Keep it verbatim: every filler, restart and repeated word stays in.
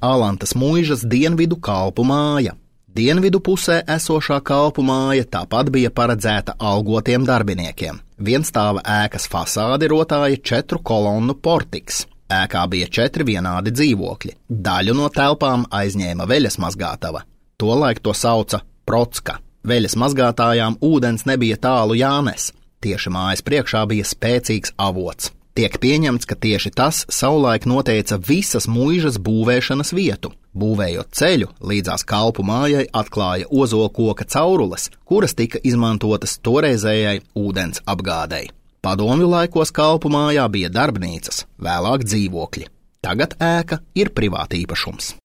Alantas muižas dienvidu kalpu māja. Dienvidu pusē esošā kalpu māja tāpat bija paredzēta algotiem darbiniekiem. Vienstāva ēkas fasādi rotāja četru kolonnu portiks. Ēkā bija četri vienādi dzīvokļi. Daļu no telpām aizņēma veļas mazgātava. Tolaik to sauca procka. Veļas mazgātājām ūdens nebija tālu jānes. Tieši mājas priekšā bija spēcīgs avots. Tiek pieņemts, ka tieši tas savulaik noteica visas muižas būvēšanas vietu. Būvējot ceļu, līdzās kalpu mājai atklāja ozolkoka caurules, kuras tika izmantotas toreizējai ūdens apgādei. Padomju laikos kalpu mājā bija darbnīcas, vēlāk dzīvokļi. Tagad ēka ir privātīpašums.